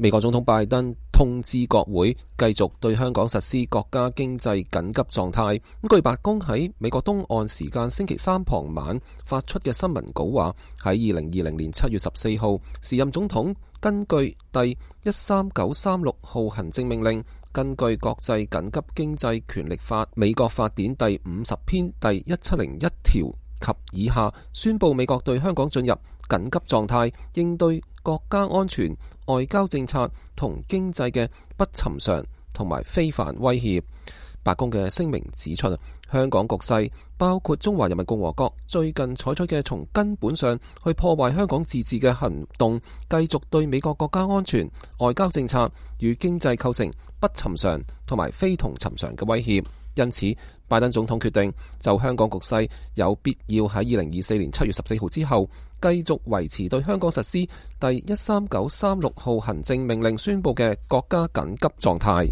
美國總統拜登通知國會繼續對香港實施國家經濟緊急狀態。據白宮喺美國東岸時間星期三傍晚發出嘅新聞稿話，喺2020年7月14號，時任總統根據第13936號行政命令，根據國際緊急經濟權力法美國法典第50篇第1701條及以下，宣布美國對香港進入緊急狀態，應對國家安全、外交政策同經濟嘅不尋常同埋非凡威脅。白宮嘅聲明指出，香港局勢包括中華人民共和國最近採取嘅從根本上去破壞香港自治嘅行動，繼續對美國國家安全、外交政策與經濟構成不尋常同埋非同尋常嘅威脅。因此，拜登總統決定就香港局勢有必要喺2024年7月14號之後，繼續維持對香港實施第13936號行政命令宣布嘅國家緊急狀態。